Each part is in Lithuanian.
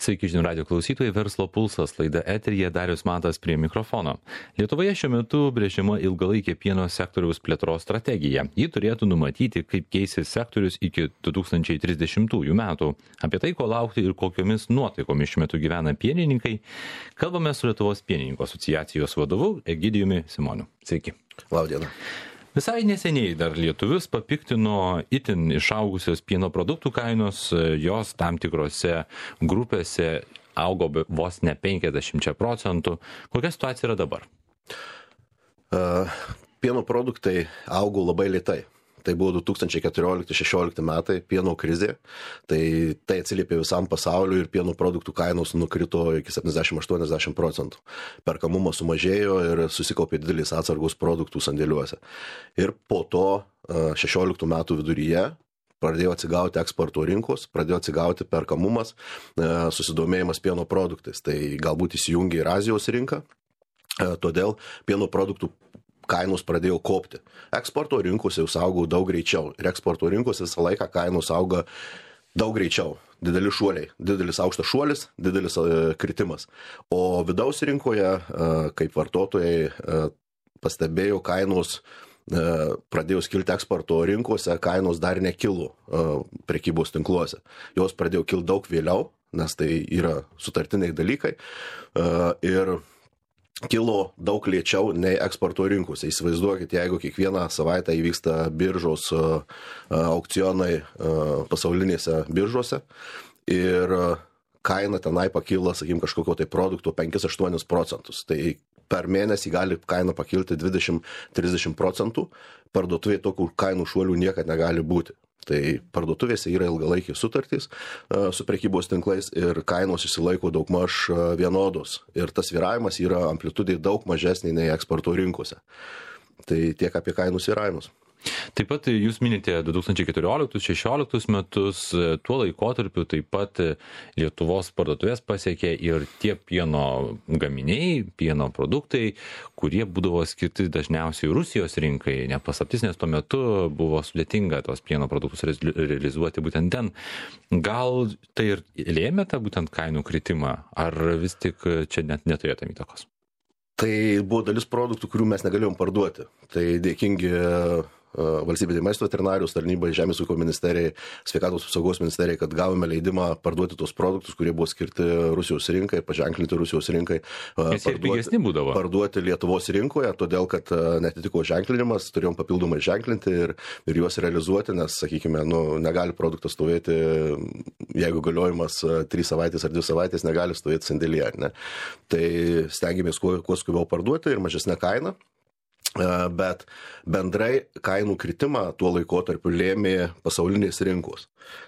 Sveiki, žinių radio klausytojai, Verslo pulsas, laida eteryje, Darius Matas prie mikrofono. Lietuvoje šiuo metu brėžiama ilgalaikė pieno sektoriaus plėtros strategija. Ji turėtų numatyti, kaip keisis sektorius iki 2030 metų. Apie tai, ko laukti ir kokiomis nuotaikomis šiuo metu gyvena pienininkai, kalbame su Lietuvos pienininkų asociacijos vadovu Egidijumi Simoniu. Sveiki. Labdiena. Visai neseniai dar lietuvius papiktino itin išaugusios pieno produktų kainos, jos tam tikrose grupėse augo vos ne 50%. Kokia situacija yra dabar? Pieno produktai augo labai lėtai. Tai buvo 2014-2016 metai, pieno krizė, tai atsiliepė visam pasauliu ir pieno produktų kainos nukrito iki 70-80%. Perkamumas sumažėjo ir susikaupė didelis atsargos produktų sandėliuose. Ir po to 16 metų viduryje pradėjo atsigauti eksporto rinkos, pradėjo atsigauti perkamumas, susidomėjimas pieno produktais. Tai galbūt įsijungė ir Azijos rinką, todėl pieno produktų kainos pradėjo kopti. Eksporto rinkose jūs augo daug greičiau ir eksporto rinkose visą laiką kainos auga daug greičiau. Dideli šuoliai, didelis aukštas šuolis, didelis kritimas. O vidaus rinkoje, kaip vartotojai pastebėjo, kainos pradėjo skilti eksporto rinkose, kainos dar nekilo prekybos tinkluose. Jos pradėjo kilti daug vėliau, nes tai yra sutartiniai dalykai ir kilo daug lėčiau nei eksporto rinkose. Įsivaizduokit, jeigu kiekvieną savaitę įvyksta biržos aukcionai pasaulinėse biržose ir kaina tenai pakyla, sakykim, kažkokio tai produkto 5-8%. Tai per mėnesį gali kaina pakilti 20-30%. Parduotuvėje tokių kainų šuolių niekad negali būti. Tai parduotuvėse yra ilgalaikiai sutartys su prekybos tinklais ir kainos išsilaiko daugmaž vienodos. Ir tas svyravimas yra amplitudė daug mažesnė nei eksporto rinkose. Tai tiek apie kainų svyravimus. Taip pat jūs minite 2014-2016 metus, tuo laikotarpiu taip pat Lietuvos parduotuvės pasiekė ir tie pieno gaminiai, pieno produktai, kurie būdavo skirti dažniausiai Rusijos rinkai, nepaslaptis, nes tuo metu buvo sudėtinga tos pieno produktus realizuoti būtent ten. Gal tai ir lėmė tą būtent kainų kritimą, ar vis tik čia net neturėjo tam įtakos? Tai buvo dalis produktų, kurių mes negalėjom parduoti. Tai dėkingi valstybinė maisto veterinarijos tarnybai, Žemės ūkio ministerijai, Sveikatos apsaugos ministerijai, kad gavome leidimą parduoti tos produktus, kurie buvo skirti Rusijos rinkai, paženklinti Rusijos rinkai, parduoti Lietuvos rinkoje, todėl kad netitiko ženklinimas, turėjom papildomai ženklinti ir juos realizuoti, nes, sakykime, negali produktas stovėti, jeigu galiojimas 3 savaitės ar 2 savaitės, negali stovėti sandėlyje. Ne? Tai stengiamės kuo skubiau parduoti ir mažesnę kainą. Bet bendrai kainų kritimą tuo laikotarpiu lėmė pasaulinės rinkos.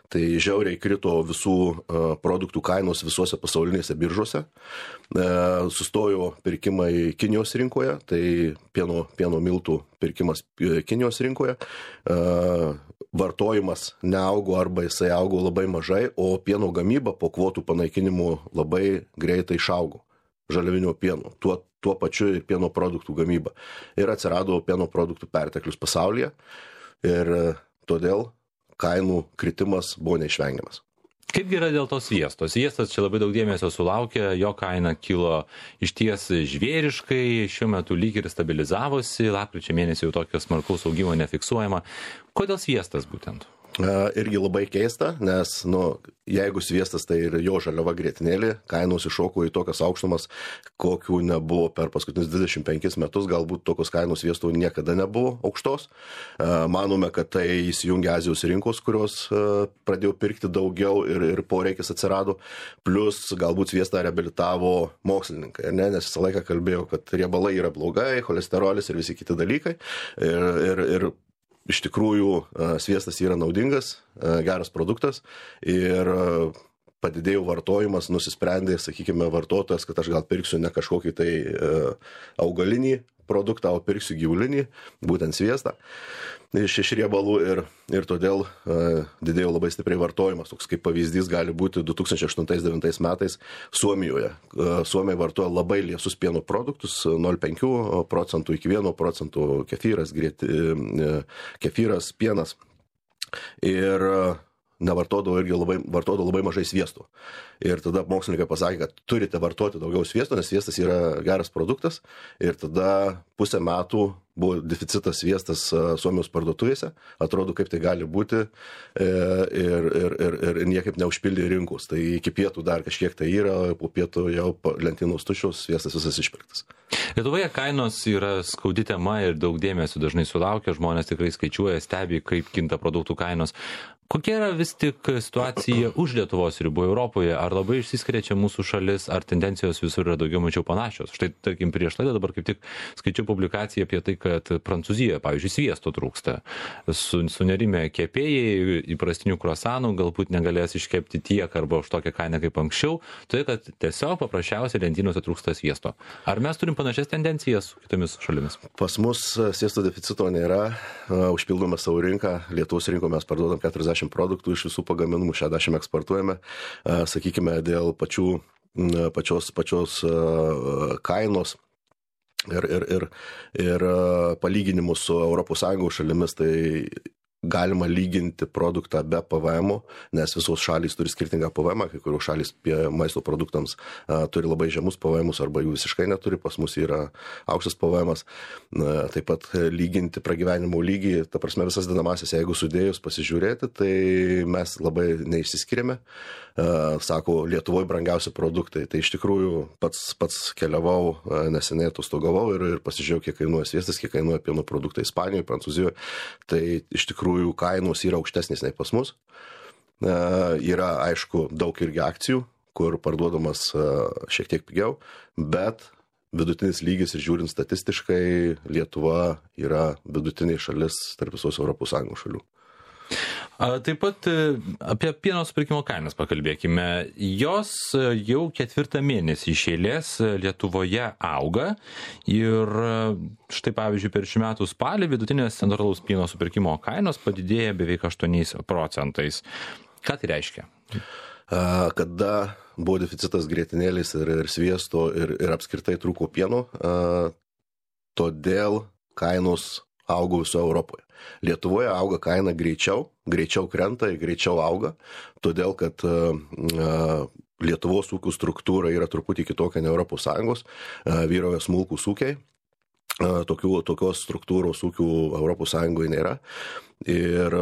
Tai žiauriai krito visų produktų kainos visuose pasaulinėse biržose. Sustojo pirkimai Kinijos rinkoje, tai pieno miltų pirkimas Kinijos rinkoje. Vartojimas neaugo arba jisai augo labai mažai, o pieno gamyba po kvotų panaikinimų labai greitai išaugo. Žaliavinio pieno, tuo pačiu ir pieno produktų gamyba. Ir atsirado pieno produktų perteklius pasaulyje ir todėl kainų kritimas buvo neišvengiamas. Kaip yra dėl to sviesto? Sviestas čia labai daug dėmesio sulaukė, jo kaina kilo išties žvėriškai, šiuo metu lyg ir stabilizavosi, lapkričio mėnesį jau tokio smarkaus augimo nefiksuojama. Kodėl sviestas būtent? Irgi labai keista, nes jeigu sviestas tai ir jo žaliava grietinėlė, kainos iššoko į tokias aukštumas, kokių nebuvo per paskutinius 25 metus, galbūt tokios kainos sviesto niekada nebuvo aukštos. Manome, kad tai įsijungia Azijos rinkos, kurios pradėjo pirkti daugiau ir poreikis atsirado, plus galbūt sviestą reabilitavo mokslininkai, nes visą laiką kalbėjau, kad riebalai yra blogai, cholesterolis ir visi kiti dalykai ir iš tikrųjų sviestas yra naudingas, geras produktas ir padidėjo vartojimas, nusisprendė, sakykime, vartotojas, kad aš gal pirksiu ne kažkokį tai augalinį produktą, o pirksiu gyvulinį, būtent sviestą iš riebalų ir todėl didėjo labai stipriai vartojimas. Toks kaip pavyzdys gali būti 2008-2009 metais Suomijoje. Suomiai vartoja labai liesus pieno produktus, 0,5% iki 1%, kefyras, pienas. Ir vartodavo labai mažai sviesto. Ir tada mokslininkai pasakė, kad turite vartoti daugiau sviesto, nes sviestas yra geras produktas. Ir tada pusę metų buvo deficitas sviestas Suomijos parduotuvėse. Atrodo, kaip tai gali būti ir niekaip neužpildė rinkos. Tai iki pietų dar kažkiek tai yra, po pietų jau lentynos tuščios, sviestas visas išpirktas. Lietuvoje kainos yra skaudi tema ir daug dėmesio dažnai sulaukia, žmonės tikrai skaičiuoja, stebi, kaip kinta produktų kainos. Kokia yra vis tik situacija už Lietuvos ribų Europoje? Ar labai išsiskiria čia mūsų šalis, ar tendencijos visur yra daugiau mažiau panašios? Štai, tarkim, prieš laidą dabar kaip tik skaičiau publikaciją apie tai, kad Prancūzijoje, pavyzdžiui, sviesto trūksta. Sunerime kepėjai įprastinių kruasanų galbūt negalės iškepti tiek arba už tokią kainą kaip anksčiau, todėl kad tiesiog paprasčiausiai lentynose trūksta sviesto. Ar mes turim panašias tendencijas su kitomis šalimis? Pas mus sviesto deficito nėra, užpildome savo rinką, Lietuvos rinko mes parduodam 40 produktų iš visų pagaminimų, 60 eksportuojame, sakykime, dėl pačios kainos ir palyginimų su ES šalimis, tai galima lyginti produktą be PVM, nes visos šalys turi skirtingą PVM, kai kurios šalys maisto produktams turi labai žemus PVM arba jų visiškai neturi, pas mus yra aukštas PVM. Taip pat lyginti pragyvenimo lygį, ta prasme visas dedamasias, jeigu sudėjus pasižiūrėti, tai mes labai neišsiskiriame. Sako, Lietuvoje brangiausi produktai. Tai iš tikrųjų pats keliavau, neseniai atostogavau ir pasižiūrėjau, kiek kainuoja sviestas, kiek kainuoja pieno produktai Ispanijoje, Prancūzijoje. Tai iš tikrųjų kainos yra aukštesnės nei pas mus. Yra, aišku, daug irgi akcijų, kur parduodamas šiek tiek pigiau, bet vidutinis lygis ir žiūrint statistiškai, Lietuva yra vidutinė šalis tarp visos ES šalių. Taip pat apie pieno supirkimo kainas pakalbėkime. Jos jau 4 mėnesį iš eilės Lietuvoje auga ir štai pavyzdžiui per šių metų spalį vidutinės centralaus pieno supirkimo kainos padidėja beveik 8%. Ką tai reiškia? Kada buvo deficitas grietinėlės ir sviesto ir apskritai trūko pieno, todėl kainos augo visoje Europoje. Lietuvoje auga kaina greičiau krenta ir greičiau auga, todėl kad Lietuvos ūkių struktūra yra truputį kitokia nei ES, vyrauja smulkūs ūkiai, tokios struktūros ūkių ES nėra. Ir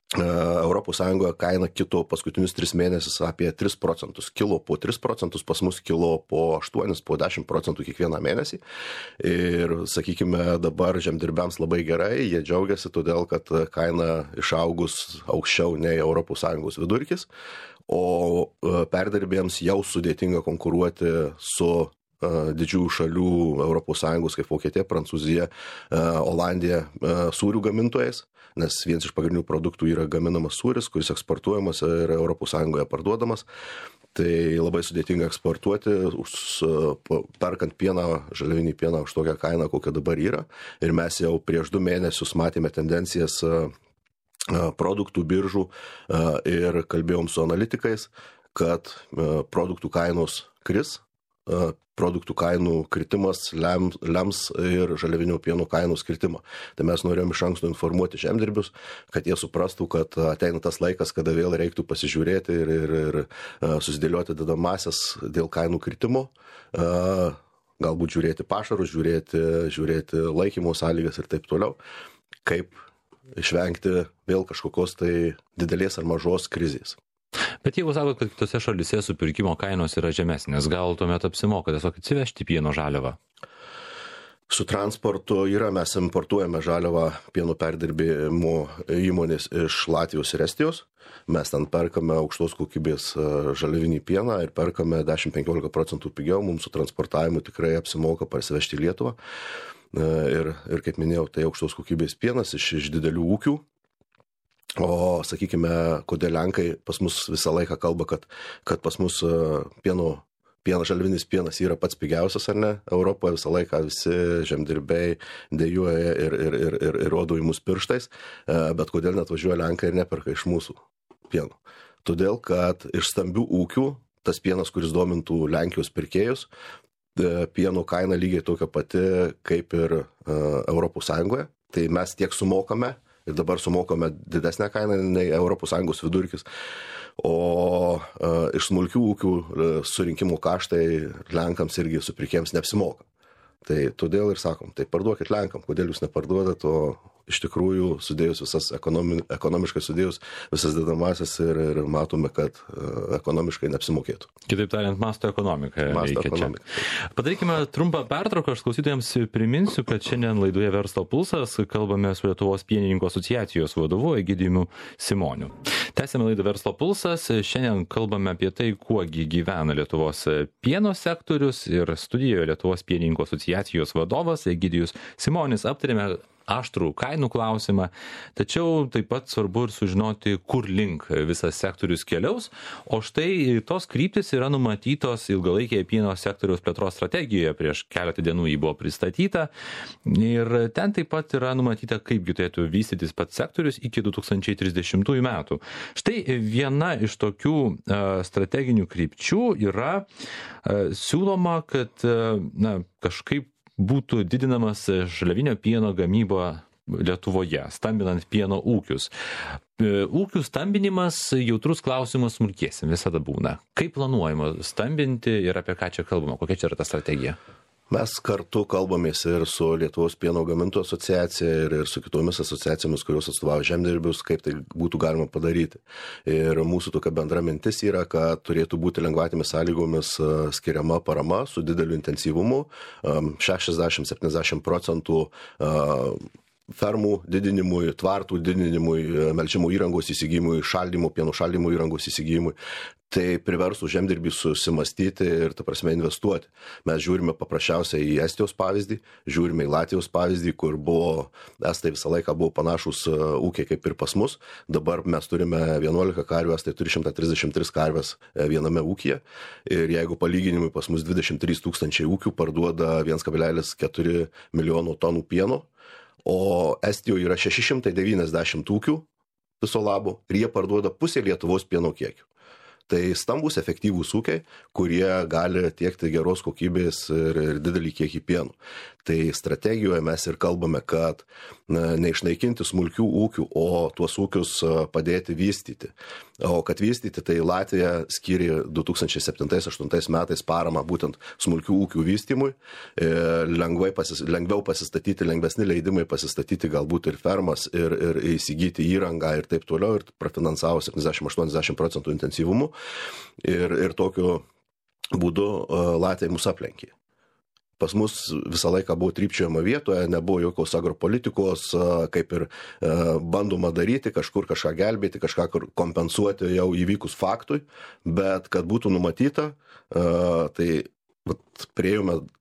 ES kaina kito paskutinius 3 mėnesius apie 3%. Kilo po 3%, pas mus kilo po 8, po 10% kiekvieną mėnesį. Ir, sakykime, dabar žemdirbiams labai gerai, jie džiaugiasi todėl, kad kaina išaugus aukščiau nei ES vidurkis, o perdirbėjams jau sudėtinga konkuruoti su didžiųjų šalių ES kaip Vokietija, Prancūzija, Olandija sūrių gamintojais, nes vienas iš pagrindinių produktų yra gaminamas sūris, kuris eksportuojamas ir ES parduodamas. Tai labai sudėtinga eksportuoti, perkant pieną, žaliavinį pieną už tokią kainą, kokia dabar yra. Ir mes jau prieš 2 mėnesius matėme tendencijas produktų biržų ir kalbėjom su analitikais, kad produktų kainos kris. Produktų kainų kritimas lems ir žaliavinio pieno kainų kritimą. Tai mes norėjom iš anksto informuoti žemdirbius, kad jie suprastų, kad ateina tas laikas, kada vėl reiktų pasižiūrėti ir susidėlioti dedamasias dėl kainų kritimo, galbūt žiūrėti pašarus, žiūrėti laikymo sąlygas ir taip toliau, kaip išvengti vėl kažkokios tai didelės ar mažos krizės. Bet jeigu sakot, kad kitose šalyse supirkimo kainos yra žemesnės, gal tuomet apsimoka tiesiog atsivežti pieno žaliavą? Su transportu mes importuojame žaliavą pieno perdirbimo įmonės iš Latvijos ir Estijos. Mes ten perkame aukštos kokybės žaliavinį pieną ir perkame 10-15% pigiau. Mums su transportavimu tikrai apsimoka parsivežti į Lietuvą. Ir kaip minėjau, tai aukštos kokybės pienas iš didelių ūkių. O, sakykime, kodėl lenkai pas mus visą laiką kalba, kad pas mus žaliavinis pienas yra pats pigiausias, ar ne? Europoje visą laiką visi žemdirbiai dejuoja ir rodo į mus pirštais, bet kodėl net važiuoja lenkai ir neperka iš mūsų pieno? Todėl, kad iš stambių ūkių tas pienas, kuris domintų Lenkijos pirkėjus, pieno kaina lygiai tokia pati kaip ir ES, tai mes tiek sumokame ir dabar sumokame didesnę kainą nei ES vidurkis, o iš smulkių ūkių surinkimo kaštai Lenkams irgi supirkėjams neapsimoka. Tai todėl ir sakom, tai parduokit Lenkam, kodėl jūs neparduodat, o iš tikrųjų sudėjus visas ekonomiškai sudėjus visas dedamasias ir matome, kad ekonomiškai neapsimokėtų. Kitaip tariant, masto ekonomika veikia čia. Padarykime trumpą pertrauką, aš klausytojams priminsiu, kad šiandien laidoje Verslo pulsas kalbame su Lietuvos pienininkų asociacijos vadovu Egidijumi Simoniu. Tęsiame laidą Verslo pulsas, šiandien kalbame apie tai, kuogi gyvena Lietuvos pieno sektorius ir studijoje Lietuvos pienininkų asociacijos vadovas Egidijus Simonis. Aptarėme aštrų kainų klausimą, tačiau taip pat svarbu ir sužinoti, kur link visas sektorius keliaus, o štai tos kryptis yra numatytos ilgalaikėje pieno sektoriaus plėtros strategijoje, prieš keletą dienų jį buvo pristatyta ir ten taip pat yra numatyta, kaipgi turėtų vystytis pats sektorius iki 2030 metų. Štai viena iš tokių strateginių krypčių yra siūloma, kad kažkaip būtų didinamas žaliavinio pieno gamyba Lietuvoje, stambinant pieno ūkius. Ūkių stambinimas jautrus klausimas smulkiesiems visada būna. Kaip planuojama stambinti ir apie ką čia kalbama? Kokia čia yra ta strategija? Mes kartu kalbamės ir su Lietuvos pieno gamintojų asociacija ir su kitomis asociacijomis, kurios atstovauja žemdirbius, kaip tai būtų galima padaryti. Ir mūsų tokia bendra mintis yra, kad turėtų būti lengvatėmis sąlygomis skiriama parama su dideliu intensyvumu, 60-70% fermų didinimui, tvartų didinimui, melžimo įrangos įsigijimui, šaldymo, pieno šaldymo įrangos įsigijimui. Tai priversų žemdirbį susimastyti ir, ta prasme, investuoti. Mes žiūrime paprasčiausiai į Estijos pavyzdį, žiūrime į Latvijos pavyzdį, kur Estai visą laiką buvo panašus ūkiai kaip ir pas mus. Dabar mes turime 11 karvių, Estai turi 133 karves viename ūkyje. Ir jeigu palyginimui pas mus 23 tūkstančiai ūkių parduoda 1,4 milijono tonų pieno, o Estijoje yra 690 ūkių viso labo ir jie parduoda pusę Lietuvos pieno kiekių. Tai stambus efektyvūs ūkiai, kurie gali tiekti geros kokybės ir didelį kiekį pieno. Tai strategijoje mes ir kalbame, kad neišnaikinti smulkių ūkių, o tuos ūkius padėti vystyti. O kad vystyti, tai Latvija skyrė 2007-2008 metais paramą būtent smulkių ūkių vystymui, lengviau pasistatyti, lengvesni leidimai pasistatyti galbūt ir fermas, ir įsigyti įrangą ir taip toliau, ir prafinansavo 70-80% intensyvumu. Ir tokiu būdu Latvija mus aplenkė. Pas mus visą laiką buvo trypčiojama vietoje, nebuvo jokios agropolitikos, kaip ir bandoma daryti, kažkur kažką gelbėti, kažką kompensuoti jau įvykus faktui, bet kad būtų numatyta, tai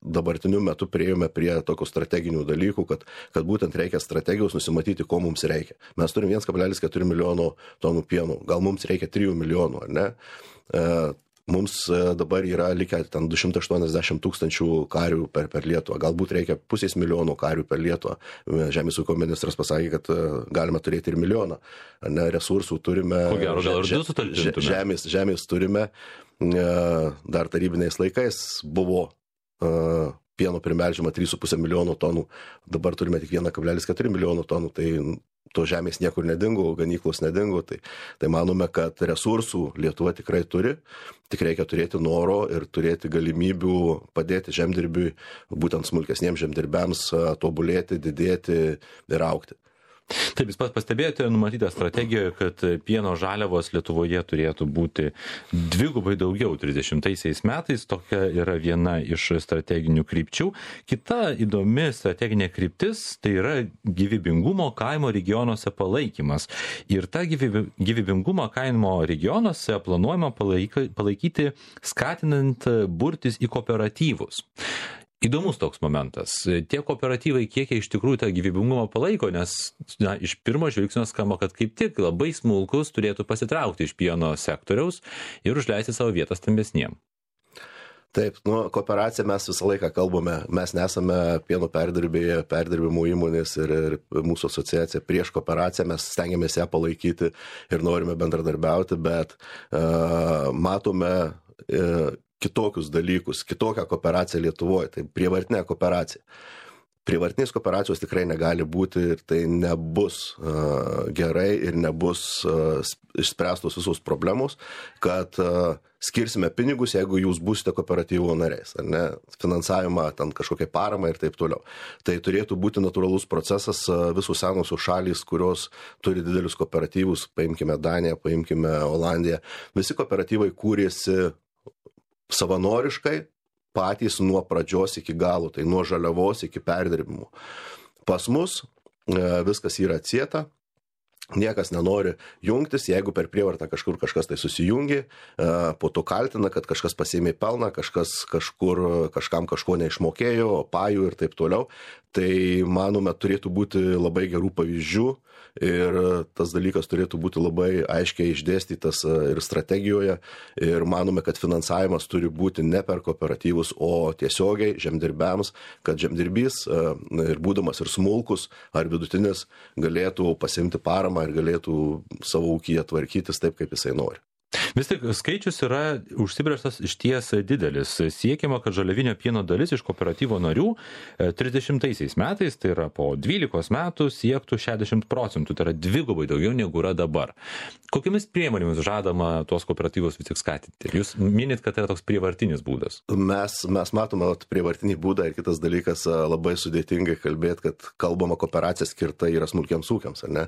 dabartiniu metu priėjome prie tokių strateginių dalykų, kad būtent reikia strategijos nusimatyti, ko mums reikia. Mes turim 1,4 milijono tonų pieno, gal mums reikia 3 milijonų, ar ne? Mums dabar yra likę ten 280 tūkstančių karių per Lietuvą. Galbūt reikia 500 milijonų karių per Lietuvą. Žemės ūkio ministras pasakė, kad galima turėti ir milijoną. Resursų turime. Ko gero, gal ir 2 sutalpintume. Žemės turime. Dar tarybiniais laikais buvo pieno primelžiama 3,5 milijono tonų. Dabar turime tik 1,4 milijono tonų. Tai to žemės niekur nedingo, ganyklos nedingo, tai manome, kad resursų Lietuva tikrai turi, tik reikia turėti noro ir turėti galimybių padėti žemdirbiui, būtent smulkesniems žemdirbiams tobulėti, didėti ir augti. Taip, jūs pastebėjote numatytą strategiją, kad pieno žaliavos Lietuvoje turėtų būti dvigubai daugiau 30 metais. Tokia yra viena iš strateginių krypčių. Kita įdomi strateginė kryptis tai yra gyvybingumo kaimo regionuose palaikymas. Ir tą gyvybingumą kaimo regionuose planuojama palaikyti skatinant burtis į kooperatyvus. Įdomus toks momentas. Tie kooperatyvai kiek iš tikrųjų tą gyvybingumą palaiko, nes iš pirmo žvilgsnio skamba, kad kaip tik labai smulkus turėtų pasitraukti iš pieno sektoriaus ir užleisti savo vietą stambesniem. Taip, kooperacija mes visą laiką kalbame, mes nesame pieno perdirbimo įmonės ir mūsų asociacija prieš kooperaciją, mes stengiamės ją palaikyti ir norime bendradarbiauti, bet matome kitokius dalykus, kitokią kooperaciją Lietuvoje, tai prievartinė kooperacija. Prievartinės kooperacijos tikrai negali būti ir tai nebus gerai ir nebus išspręstos visos problemos, kad skirsime pinigus, jeigu jūs būsite kooperatyvo nariais, ar ne, finansavimą, ten kažkokią paramą ir taip toliau. Tai turėtų būti natūralus procesas, visos senosios šalys, kurios turi didelius kooperatyvus, paimkime Daniją, paimkime Olandiją, visi kooperatyvai kūrėsi savanoriškai, patys nuo pradžios iki galo, tai nuo žaliavos iki perdirbimo. Pas mus viskas yra atsieta, niekas nenori jungtis, jeigu per prievartą kažkas tai susijungi, po to kaltina, kad kažkas pasiėmė pelną, kažkas kažkam kažko neišmokėjo, pajų ir taip toliau. Tai manome, turėtų būti labai gerų pavyzdžių ir tas dalykas turėtų būti labai aiškiai išdėstytas ir strategijoje ir manome, kad finansavimas turi būti ne per kooperatyvus, o tiesiogiai žemdirbiams, kad žemdirbys ir būdamas ir smulkus ar vidutinis galėtų pasimti paramą ir galėtų savo ūkyje tvarkytis taip, kaip jisai nori. Vis tik skaičius yra užsibrėžtas išties didelis. Siekiama, kad žaliavinio pieno dalis iš kooperatyvo narių 30 metais, tai yra po 12 metų, siektų 60%, tai yra dvigubai daugiau negu yra dabar. Kokiamis priemonėmis žadama tuos kooperatyvus vis tik skatinti? Jūs minit, kad tai yra toks prievartinis būdas. Mes matome prievartinį būdą ir kitas dalykas labai sudėtingai kalbėti, kad kalbama kooperacija skirta yra smulkiams ūkiams, ar ne?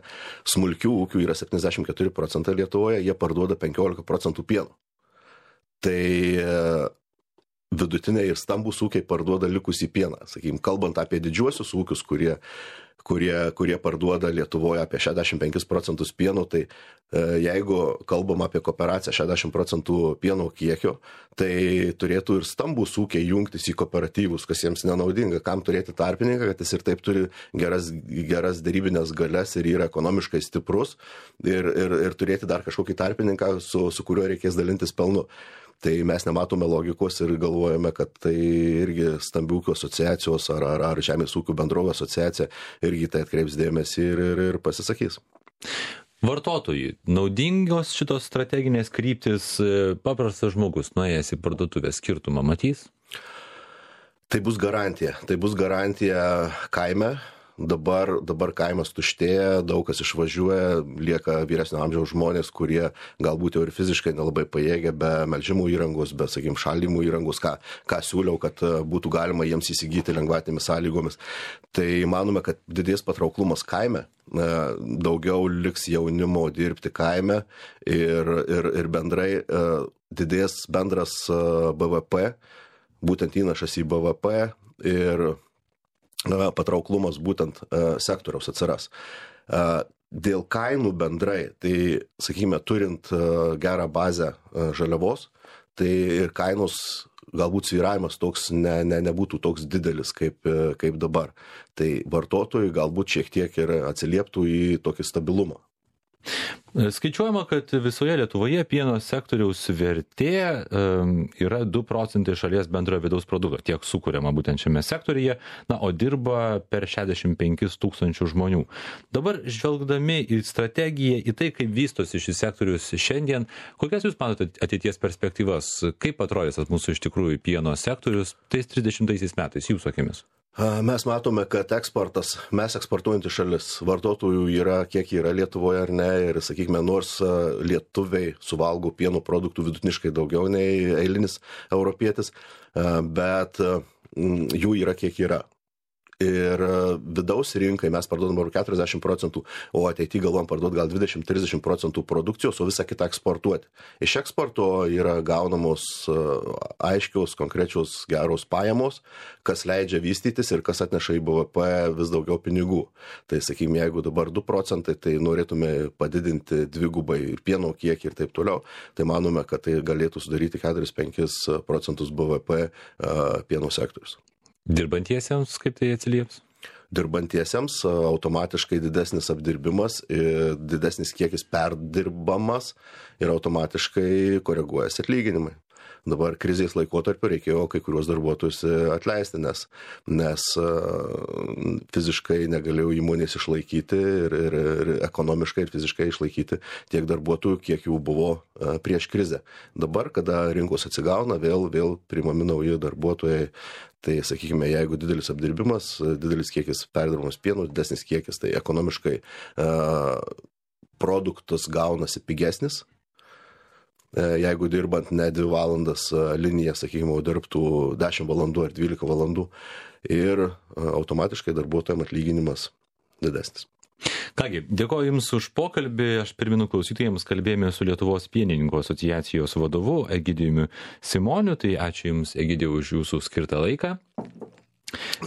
Smulkių ūkių yra 74% Lietuvoje, jie parduoda 15% pieno. Tai vidutiniai ir stambus ūkiai parduoda likusį pieną. Sakykime, kalbant apie didžiuosius ūkius, kurie parduoda Lietuvoje apie 65% pieno, tai jeigu kalbam apie kooperaciją 60% pieno kiekio, tai turėtų ir stambus ūkiai jungtis į kooperatyvus, kas jiems nenaudinga. Kam turėti tarpininką, kad jis ir taip turi geras darybinės galias ir yra ekonomiškai stiprus ir turėti dar kažkokį tarpininką, su kuriuo reikės dalintis pelnu. Tai mes nematome logikos ir galvojame, kad tai irgi stambių ūkių asociacijos ar žemės ūkių bendrovų asociacija irgi tai atkreips dėmesį ir pasisakys. Vartotojai, naudingos šitos strateginės kryptis, paprastas žmogus nuėjęs į parduotuvę skirtumą matys? Tai bus garantija kaime. Dabar kaimas tuštėja, daug kas išvažiuoja, lieka vyresnio amžiaus žmonės, kurie galbūt jau ir fiziškai nelabai pajėgia be melžimų įrangos, be, sakykim, šaldymų įrangos, ką siūliau, kad būtų galima jiems įsigyti lengvatinėmis sąlygomis. Tai manome, kad didės patrauklumas kaime, daugiau liks jaunimo dirbti kaime ir bendrai didės bendras BVP, būtent įnašas į BVP ir patrauklumas būtent sektoriaus atsiras. Dėl kainų bendrai, tai, sakykime, turint gerą bazę žaliavos, tai ir kainos galbūt svyravimas toks nebūtų toks didelis kaip dabar. Tai vartotojai galbūt šiek tiek ir atsilieptų į tokį stabilumą. Skaičiuojama, kad visoje Lietuvoje pieno sektoriaus vertė yra 2 procentai šalies bendrojo vidaus produkto, tiek sukuriama būtent šiame sektoriuje, o dirba per 65 tūkstančių žmonių. Dabar žvelgdami į strategiją, į tai, kaip vystosi šis sektorius šiandien, kokias jūs matote ateities perspektyvas, kaip atrodys mūsų iš tikrųjų pieno sektorius tais 30 metais, jūsų akimis? Mes matome, kad mes eksportuojantys šalis, vartotojų yra, kiek yra Lietuvoje ar ne, ir, sakykime, nors lietuviai suvalgo pieno produktų vidutiniškai daugiau nei eilinis europietis, bet jų yra, kiek yra. Ir vidaus rinkai mes parduodam 40%, o ateityje galvom parduoti gal 20-30% produkcijos, o visą kitą eksportuoti. Iš eksporto yra gaunamos aiškios, konkrečios geros pajamos, kas leidžia vystytis ir kas atneša į BVP vis daugiau pinigų. Tai, sakykime, jeigu dabar 2%, tai norėtume padidinti dvigubai ir pieno kiekį ir taip toliau, tai manome, kad tai galėtų sudaryti 4-5% BVP pieno sektorius. Dirbantiesiems kaip tai atsilieps? Dirbantiesiems automatiškai didesnis apdirbimas, didesnis kiekis perdirbamas ir automatiškai koreguojasi atlyginimai. Dabar krizės laikotarpiu reikėjo kai kuriuos darbuotojus atleisti, nes fiziškai negalėjau įmonės išlaikyti ir ekonomiškai ir fiziškai išlaikyti tiek darbuotojų, kiek jų buvo prieš krizę. Dabar, kada rinkos atsigauna, vėl priimami nauji darbuotojai. Tai, sakykime, jeigu didelis apdirbimas, didelis kiekis perdirbamas pieno, didesnis kiekis, tai ekonomiškai produktas gaunasi pigesnis. Jeigu dirbant ne 2 valandas liniją, sakykime, dirbtų 10 valandų ar 12 valandų ir automatiškai darbuotojams atlyginimas didesnis. Kągi, dėkoju Jums už pokalbį. Aš primenu klausytojams, kalbėjome su Lietuvos pienininkų asociacijos vadovu Egidijumi Simoniu. Tai ačiū Jums, Egidijau, už Jūsų skirtą laiką.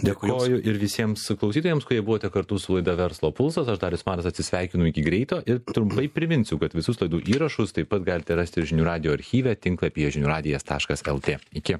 Dėkoju ir visiems klausytojams, kurie buvote kartu su laida Verslo pulsas. Aš Darius Maras atsisveikinu iki greito ir trumpai priminsiu, kad visus laidų įrašus taip pat galite rasti ir žinių radijo archyve tinklapyje žiniųradijas.lt. Iki.